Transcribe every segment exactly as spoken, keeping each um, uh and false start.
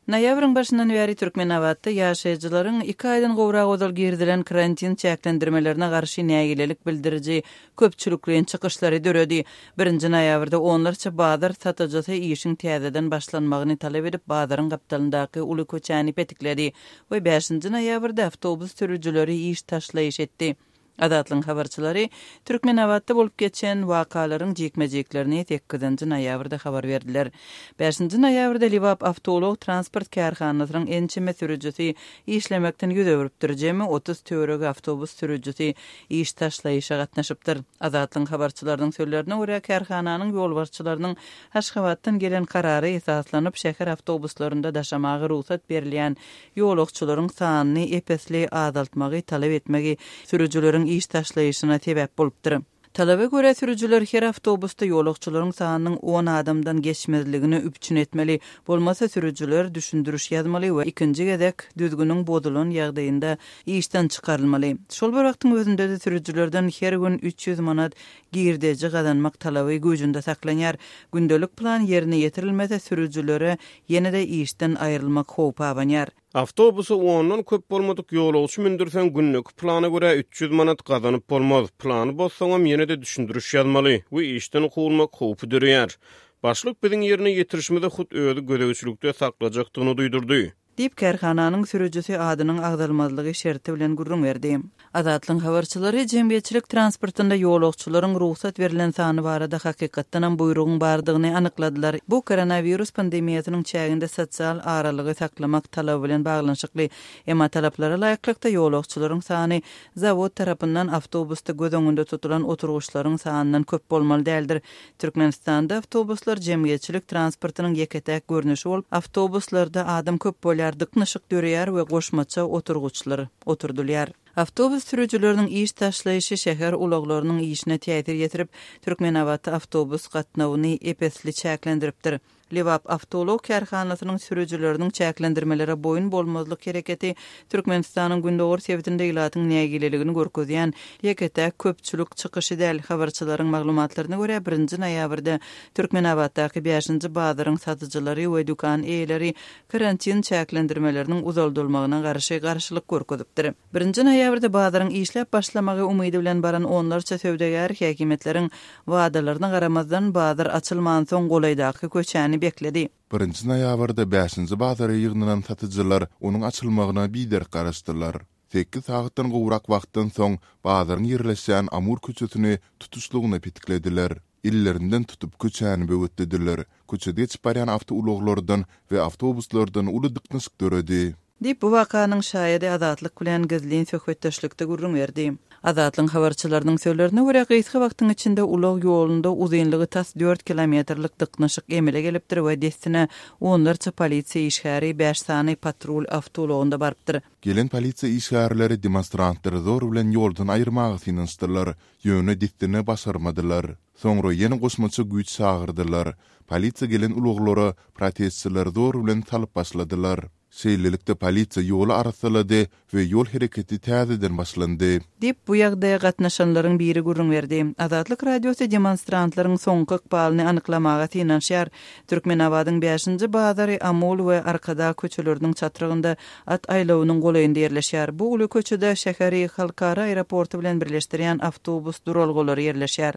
Noýabryň başyndan bäri Türkmenabatda ýaşaýjylaryň iki aýdan gowrak ozal girizilen karantin çäklendirmelerine garşy nägilelik bildiriji köpçülikleýin çykyşlary döredi. Birinji noýabrda onlarça bazar satyjysy işiň täzeden başlanmagyny talap edip, bazaryň gapdalyndaky uly köçäni petikledi we bäşinji noýabrda awtobus sürüjileri iş taşlaýyş etdi. Azatlygyň habarçylary Türkmenabatda bolup geçen wakalaryň jikme-jiklerini sekizinji noýabrda habar berdiler. Bäşinji noýabrda Lebap awtoulag transport kärhanasynyň ençeme sürüjisi işlemekden ýüz öwrüpdir. Jemi otuz töweregi awtobus sürüjisi iş taşlaýyşa gatnaşypdyr. Azatlygyň habarçylarynyň sözlerine görä, kärhananyň ýolbaşçylarynyň Aşgabatdan gelen karara esaslanyp, şäher awtobuslarynda daşamaga rugsat berilýän ýolagçylaryň sanyny ep-esli azaltmagy talap etmegi sürüjileriň iş taşlaýyşyna sebäp bolupdyr. Talaba görä, sürüjiler her awtobusda ýolagçylaryň sanynyň on adamdan geçmezligini üpjün etmeli, bolmasa sürüjiler düşündiriş ýazmaly we ikinji gezek düzgüniň bozulan ýagdaýynda işden çykarylmaly. Şol bir wagtyň özünde-de sürüjilerden her gün üç ýüz manat girdeji gazanmak talaby güýjünde saklanýar. Gündelik plan ýerine ýetirilmese sürüjilere ýene-de işden aýrylmak howpy abanýar. Awtobusa ondan köp bolmadyk ýolagçy mündürseň günlük plana görä üç ýüz manat gazanyp bolmaz. Plany bozsaňam ýene-de düşündiriş ýazmaly we işden kowulmak howpy döreýär. Başlyk biziň ýerine ýetirişimizi hut özi gözegçilikde saklajakdygyny duýdurdy. Diýip, kärhananyň sürüjisi adynyň agzalmazlygy şerti bilen gürrüň berdi. Azatlygyň habarçylary jemgyýetçilik transportynda ýolagçylaryň rugsat berlen sany barada hakykatdanam buýrugyň bardygyny anykladylar. Bu koronawirus pandemiýasynyň çäginde sosial aralygy saklamak talaby bilen baglanyşykly. Emma talaplara laýyklykda ýolagçylaryň sany zawod tarapyndan awtobusda göz öňünde tutulan oturgyçlaryň sanyndan köp bolmaly däldir. Türkmenistanda awtobuslar jemgyýetçilik transportynyň ýeke-täk görnüşi bolup, awtobuslarda adam köp bolýar, dyknyşyk döreýär we goşmaça oturgyçlar oturdylýar. Awtobus sürüjileriniň iş taşlaýyşy şäher ulaglarynyň işine täsir ýetirip, Türkmenabatda awtobus gatnawyny ep-esli çäklendiripdir. Lebap awtoulag kärhanasynyň sürüjileriniň çäklendirmelere boýun bolmazlyk hereketi Türkmenistanyň gündogar sebitinde ilatyň nägileligini görkezýän ýeke-täk köpçülik çykyşy däl. Habarçylaryň maglumatlaryna görä, birinji noýabrda Türkmenabatdaky bäşinji bazaryň satyjylary we dükan eýeleri karantin çäklendirmeleriniň uzaldylmagyna garşy garşylyk görkezipdir. Birinji noýabrda bazaryň işläp başlamagy umydy bilen baran onlarça söwdagär häkimiýetleriň wadalaryna garamazdan bazar açylmansoň golaýdaky köçäni bekledi. Birinji noýabrda bäşinji bazara ýygnanan satyjylar onuň açylmagyna biderek garaşdylar. Sekiz sagatdan gowrak wagtdan soň bazaryň ýerleşýän Amur köçesini tutuşlygyna petiklediler. Ellerinden tutup köçäni böwetlediler. Köçede geçip barýan awtoulaglardan we awtobuslardan uly dyknyşyk döredi. Diýip, bu wakanyň şaýady Azatlyk bilen gizlin söhbetdeşlikde gürrüň berdi. Azatlygyň habarçylarynyň sözlerine görä, gysga wagtyň içinde ulag ýolunda uzynlygy tas dört kilometrlik dyknyşyk emele gelipdir we dessine onlarça polisiýa işgäri bäş sany patrul awtoulagynda barypdyr. Gelen polisiýa işgärleri demonstrantlary zor bilen ýoldan aýyrmaga synanyşdylar, ýöne dessine başarmadylar. Soňra ýene goşmaça güýç çagyrdylar. Polisiýa gelen ulaglara protestçiler zor bilen salyp başladylar. Şeýlelikde polisiýa ýoly arassalady we ýol hereketi täzeden başlandy. Diýip, bu ýagdaýa gatnaşanlaryň biri gürrüň berdi. Azatlyk Radiosy demonstrantlaryň soňky ykbalyny anyklamaga synanyşýar. Türkmenabadyň bäşinji bazary Amul we Arkadag köçeleriniň çatrygynda at aýlawynyň golaýynda ýerleşýär. Bu uly köçede şäheri halkara aeroporty bilen birleşdirýän awtobus duralgalary ýerleşýär.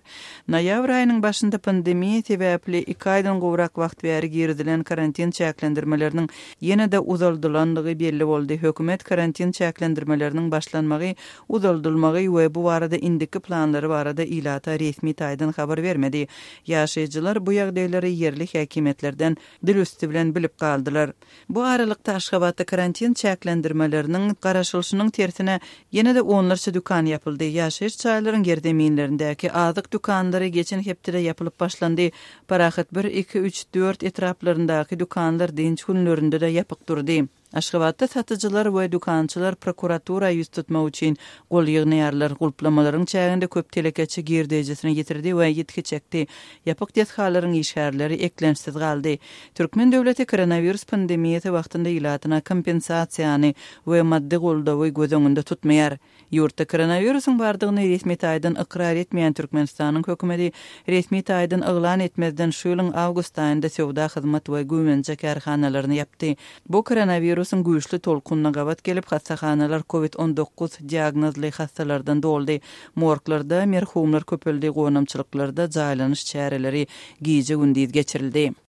Noýabr aýynyň başynda pandemiýa sebäpli iki aýdan gowrak wagt bäri girizilen karantin çäklendirmeleriniň ýene-de uzaldylandygy belli boldy. Hökümet karantin çäklendirmeleriniň başlanmagy, uzaldylmagy we bu barada indiki planlary barada ilata resmi taýdan habar bermedi. Ýaşaýjylar bu ýagdaýlary ýerli häkimiýetlerden dil üsti bilen bilip galdylar. Bu aralykda Aşgabatda karantin çäklendirmeleriniň garaşylyşynyň tersine ýene-de onlarça dükan ýapyldy. Ýaşaýyş jaýlaryň ýerzeminlerindäki azyk dükanlary geçen hepdede ýapylyp başlandy. Parahat bir, iki, üç, dört etraplaryndaky dükanlar dynç günlerinde-de ýapyk durdy. Aşgabatda satyjylar we dükançylar prokuratura ýüz tutmak üçin gol ýygnaýarlar. Gulplamalaryň çäginde köp telekeçi girdejisini ýitirdi we ýitgi çekdi. Ýapyk desgalaryň işgärleri eklençsiz galdy. Türkmen döwleti koronawirus pandemiýasy wagtynda ilatyna kompensasiýany we maddy goldawy göz öňünde tutmaýar. Ýurtda koronawirusyň bardygyny resmi taýdan ykrar etmeýän Türkmenistanyň hökümeti resmi taýdan yglan etmezden şu ýylyň awgust aýynda söwda hyzmat we güýmenje kärhanalaryny ýapdy. Bu koronawirusyň güýçli tolkunyna gabat gelip, hassahanalar COVID on dokuz diagnozly hassalardan doldy. Morglarda merhumlar köpeldi, gonamçylyklarda jaýlanyş çäreleri gije-gündiz geçirildi.